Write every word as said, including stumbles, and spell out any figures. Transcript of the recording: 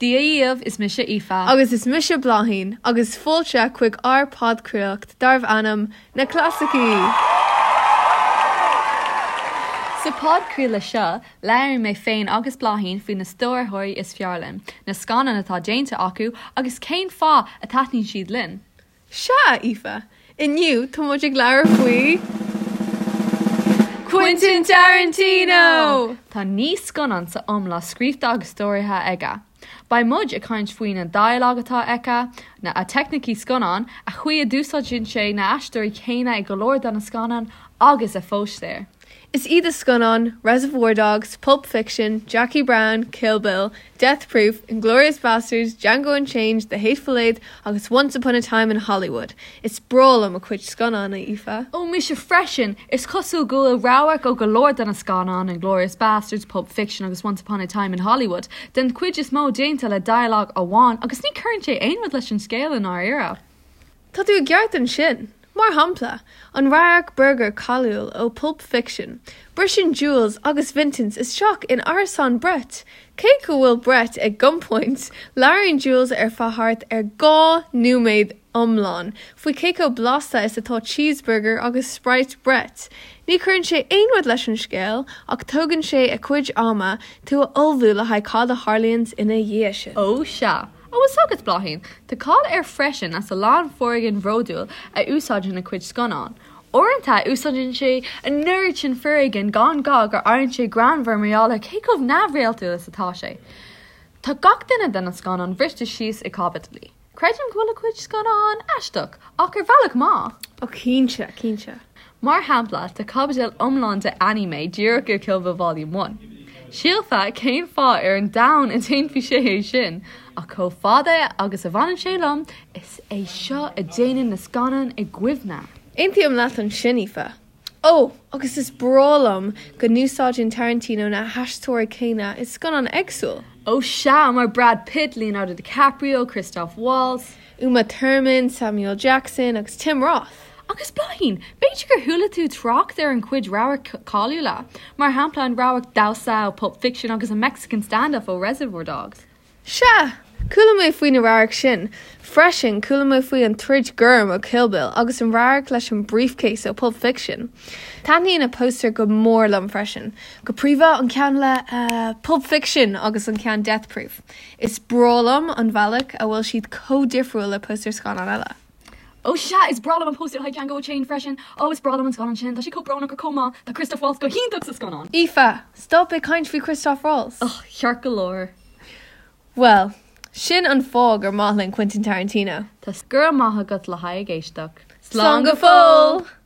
Dia dhaoibh, is mise Aoife. Agus is mise Bláithín, agus fáilte chuig ár podchraoladh darbh ainm Na Clasaicí! Sa podchraoladh seo, labhraíonn mé féin agus Bláithín faoi na stiúrthóirí is fearr linn, na scannáin atá déanta acu agus cén fáth a taitníonn siad linn. Sea, Aoife! Inniu tá muid ag labhairt faoi Quentin Tarantino! Tá naoi scannán sa iomlán scríofa agus stiúrtha aige. Beidh muid ag caint faoi na dialog atá aige, na a teicnící scannán, a chaoi a d'úsáideann sé na haisteoirí céanna i go leor de na scannáin agus a phóstaeir. Is iad a scannáin Reservoir Dogs, Pulp Fiction, Jackie Brown, Kill Bill, Death Proof, Inglourious Basterds, Django Unchained, The Hateful Eight agus Once Upon a Time in Hollywood. Is breá liom a chuid scannán, Aoife. Ó mise freisin, is cosúil go bhfuil radharc ó go leor de na scannáin Inglourious Basterds, Pulp Fiction agus Once Upon a Time in Hollywood, den chuid is mó déanta le dialog amháin agus ní chuireann sé aon rud leis an scéal i ndáiríre. Tá tú i gceart ansin. Mar shampla, an radharc burger cáiliúil ó Pulp Fiction, Briseann Jules agus Vincent isteach in árasán Brett. Cé go bhfuil Brett ag gunpoint, labhraíonn Jules ar feadh thart ar dhá nóiméad iomlán, faoi cé chomh blasta is atá cheeseburger agus Sprite Brett. Ní chuireann sé aon rud leis an scéal ach tógann sé a chuid ama tú a ullmhú le haghaidh cad a tharlaíonn ina dhiaidh sin. Ó sea. Ó is agus Bláithín, Tá cáil air freisin as a lán foréigean bhrúidiúil a úsáid ina chuid scannán. Uaireanta úsáideann sé an oiread sin foréigean gan gá gur éiríonn sé greannmhar mar gheall ar cé chomh neamhréaltúil is atá sé. Tá gach duine de na scannáin briste síos i caibidlí. Creidim go bhfuil a chuid scannán aisteach ach ar bhealach maith. Ó cinnte, cinnte. Mar shampla tá caibidil iomlán de anime díreach i Kill Bill Volume one. Shílfeá cén fáth ar an domhan a déanfaí sé é sin, ach chomh fada agus a bhaineann sé liom, is é seo a déanann na scannáin i gcuimhne. Aontaím leat ansin, Aoife. Ó, agus is breá liom go n-úsáideann Tarantino na haisteoirí céanna i scannáin éagsúil. Ó sea mar Brad Pitt, Leonardo DiCaprio, Christoph Waltz, Uma Thurman, Samuel Jackson agus Tim Roth. Agus Bláithín, b'fhéidir gur chuala tú trácht ar an chuid radharc cáiliúla, mar shampla an radharc damhsa ó Pulp Fiction agus an Mexican standoff ó Reservoir Dogs. Sea, chuala mé faoi na radhairc sin. Freisin chuala mé faoi an troid gorm ó Kill Bill agus an radharc leis an briefcase ó Pulp Fiction. Taitníonn na póstaeir go mór liom freisin. Go príomha an ceann le uh, Pulp Fiction agus an ceann Death Proof. Is breá liom an bealach a bhfuil siad chomh difriúil le póstaeir scannán eile. Ó sea is breá liom an póstaer le Django Unchained freisin, ó is breá liom an scannán sin, tá sé chomh brónach ach chomh maith, tá Christoph Waltz go hiontach sa scannán. Aoife, stop ag caint faoi Christoph Waltz. Oh, ceart go leor. Well, sin an fáth gur maith linn Quentin Tarantino. Tá go raibh maith agat le haghaidh éisteacht. Slán go fóill!